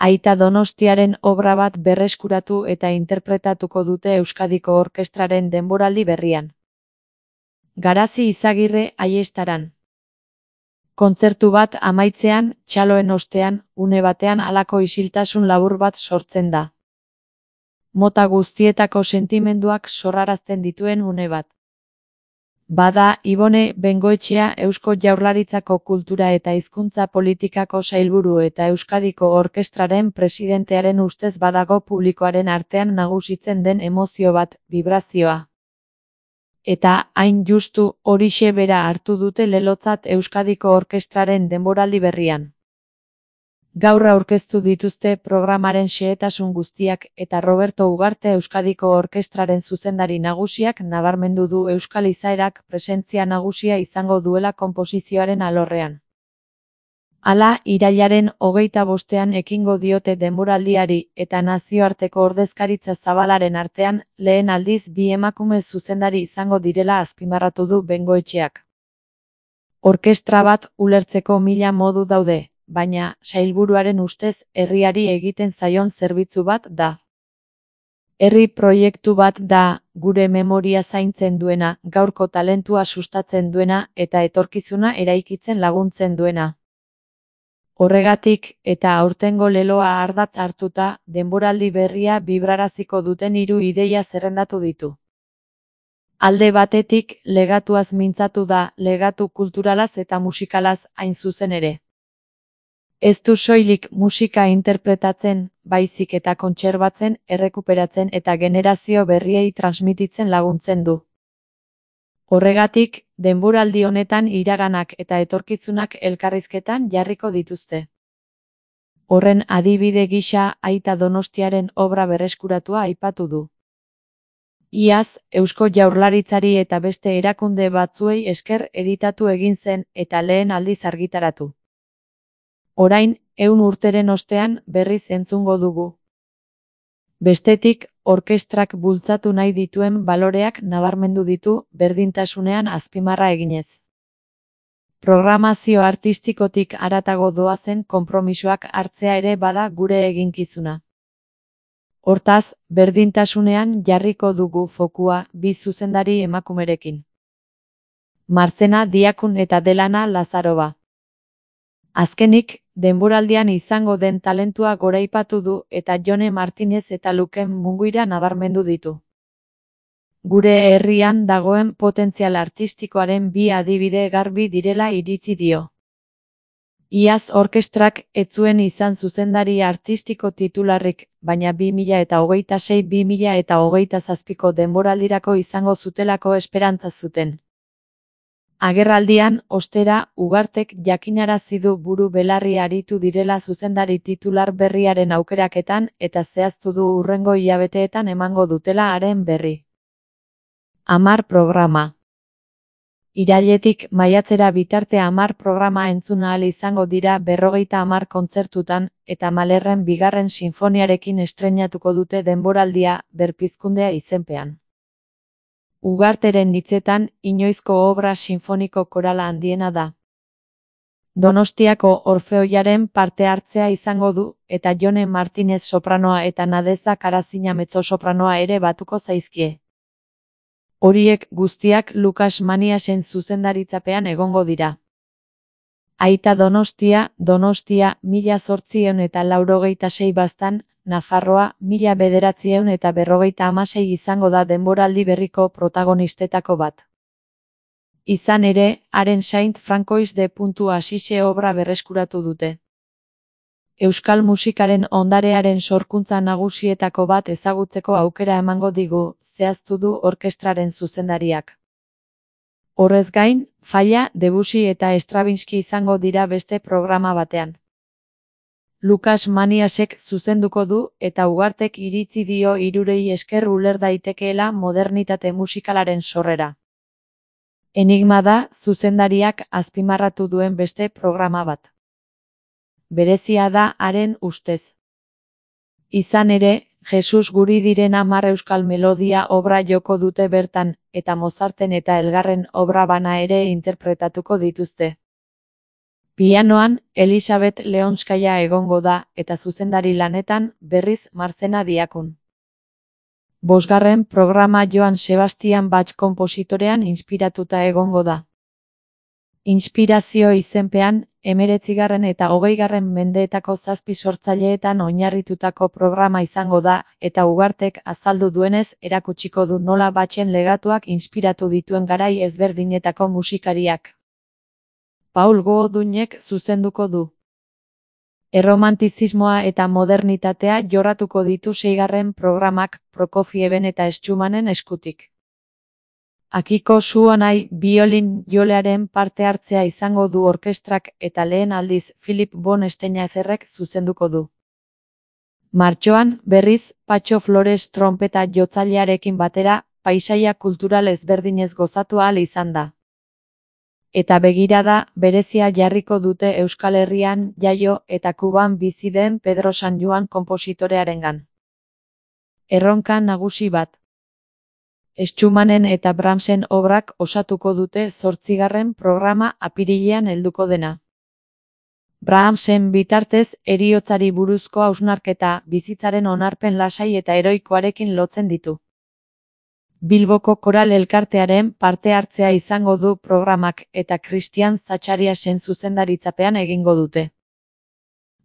Aita Donostiaren obra bat berreskuratu eta interpretatuko dute Euskadiko Orkestraren denboraldi berrian. Garazi Izagirre Aiestaran. Kontzertu bat amaitzean, txaloen ostean, une batean halako isiltasun labur bat sortzen da. Mota guztietako sentimenduak sorrarazten dituen une bat. Bada, Ibone Bengoetxea Eusko Jaurlaritzako Kultura eta Hizkuntza Politikako sailburu eta Euskadiko Orkestraren presidentearen ustez badago publikoaren artean nagusitzen den emozio bat, vibrazioa. Eta, hain justu, horixe bera hartu dute lelotzat Euskadiko Orkestraren denboraldi berrian. Gaur aurkeztu dituzte programaren xehetasun guztiak eta Roberto Ugarte Euskadiko Orkestraren zuzendari nagusiak nabarmendu du euskal izaerak presentzia nagusia izango duela konposizioaren alorrean. Hala, irailaren 25ean ekingo diote denboraldiari eta nazioarteko ordezkaritza zabalaren artean lehen aldiz bi emakume zuzendari izango direla azpimarratu du Bengoetxeak. Orkestra bat ulertzeko 1000 modu daude, baina, sailburuaren ustez, herriari egiten zaion zerbitzu bat da. Herri proiektu bat da, gure memoria zaintzen duena, gaurko talentua sustatzen duena eta etorkizuna eraikitzen laguntzen duena. Horregatik, eta aurtengo leloa ardatz hartuta, denboraldi berria bibraraziko duten 3 ideia zerrendatu ditu. Alde batetik, legatuaz mintzatu da, legatu kulturalaz eta musikalaz hain zuzen ere. Ez du soilik musika interpretatzen, baizik eta kontserbatzen, errekuperatzen eta generazio berriei transmititzen laguntzen du. Horregatik, denboraldi honetan iraganak eta etorkizunak elkarrizketan jarriko dituzte. Horren adibide gisa Aita Donostiaren obra berreskuratua aipatu du. Iaz, Eusko Jaurlaritzari eta beste erakunde batzuei esker editatu egin zen eta lehen aldiz argitaratu. Orain, 100 urteren ostean berriz entzungo dugu. Bestetik, orkestrak bultzatu nahi dituen baloreak nabarmendu ditu berdintasunean azpimarra eginez. Programazio artistikotik haratago doazen konpromisoak hartzea ere bada gure eginkizuna. Hortaz, berdintasunean jarriko dugu fokua bi zuzendari emakumerekin. Martzena Diakun eta Delana Lazarova. Azkenik, denboraldian izango den talentua goraipatu du eta Jone Martinez eta Luken Munguira nabarmendu ditu. Gure herrian dagoen potentzial artistikoaren bi adibide garbi direla iritzi dio. Iaz orkestrak ez zuen izan zuzendari artistiko titularrik, baina 2026-2027ko denboraldirako izango zutelako esperantza zuten. Agerraldian, ostera, Ugartek jakinarazi du buru belarri aritu direla zuzendari titular berriaren aukeraketan eta zehaztu du hurrengo hilabeteetan emango dutela haren berri. 10 programa. Irailetik maiatzera bitarte 10 programa entzun ahal izango dira 50 kontzertutan eta Malerren 2. sinfoniarekin estreinatuko dute denboraldia Berpizkundea izenpean. Ugarteren hitzetan, inoizko obra sinfoniko korala handiena da. Donostiako Orfeoiaren parte hartzea izango du, eta Jone Martinez sopranoa eta Nadeza Karazina mezzosopranoa ere batuko zaizkie. Horiek guztiak Lukas Maniasen zuzendaritzapean egongo dira. Aita Donostia, 1886 baztan, Nafarroa, 1956 izango da denboraldi berriko protagonistetako bat. Izan ere, haren Saint Francois de Assise obra berreskuratu dute. Euskal musikaren ondarearen sorkuntza nagusietako bat ezagutzeko aukera emango digu, zehaztu du orkestraren zuzendariak. Horrez gain, Falla, Debussy eta Stravinsky izango dira beste programa batean. Lukas Maniasek zuzenduko du eta Ugartek iritzi dio hirurei esker uler daitekeela modernitate musikalaren sorrera. Enigma da zuzendariak azpimarratu duen beste programa bat. Berezia da haren ustez. Izan ere, Jesus guri diren 10 euskal melodia obra joko dute bertan, eta Mozarten eta Elgarren obra bana ere interpretatuko dituzte. Pianoan, Elisabet Leonskaia egongo da, eta zuzendari lanetan, berriz Marcena Diakun. 5. programa Joan Sebastian Bach konpositorean inspiratuta egongo da. Inspirazio izenpean, 19. eta 20. mendeetako 7 sortzaileetan oinarritutako programa izango da, eta Ugartek azaldu duenez erakutsiko du nola Bachen legatuak inspiratu dituen garai ezberdinetako musikariak. Paul Goodunek zuzenduko du. Erromantizismoa eta modernitatea jorratuko ditu 6. programak Prokofieben eta Schumannen eskutik. Akiko Suonai biolin jolearen parte hartzea izango du orkestrak eta lehen aldiz Philip von Steinazerrek zuzenduko du. Martxoan, berriz, Patxo Flores trompeta jotzailearekin batera, paisaia kultural ezberdinez gozatu ahal izan da. Eta begirada berezia jarriko dute Euskal Herrian jaio eta Kuban bizi den Pedro San Juan konpositorearengan. Erronka nagusi bat. Schumannen eta Brahmsen obrak osatuko dute 8. programa apirilean helduko dena. Brahmsen bitartez heriotzari buruzko hausnarketa bizitzaren onarpen lasai eta heroikoarekin lotzen ditu. Bilboko Koral Elkartearen parte hartzea izango du programak eta Christian Zachariasen zuzendaritzapean egingo dute.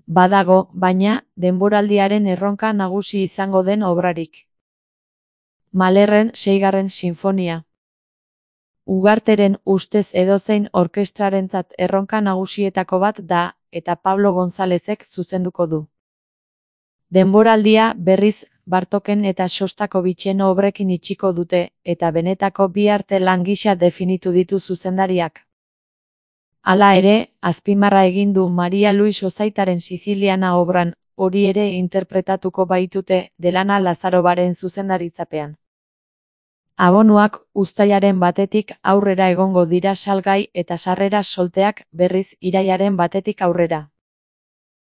Badago, baina, denboraldiaren erronka nagusi izango den obrarik. Mahlerren 6. sinfonia. Ugarteren ustez edozein orkestrarentzat erronka nagusietako bat da, eta Pablo Gonzálezek zuzenduko du. Denboraldia berriz Bartoken eta Shostakovichen obrekin itxiko dute, eta benetako bi arte lan gisa definitu ditu zuzendariak. Hala ere, azpimarra egin du Maria Luis Ozaitaren Siziliana obran, hori ere interpretatuko baitute Delana Lazarobaren zuzendaritzapean. Abonuak uztailaren 1. aurrera egongo dira salgai eta sarrera solteak berriz irailaren 1. aurrera.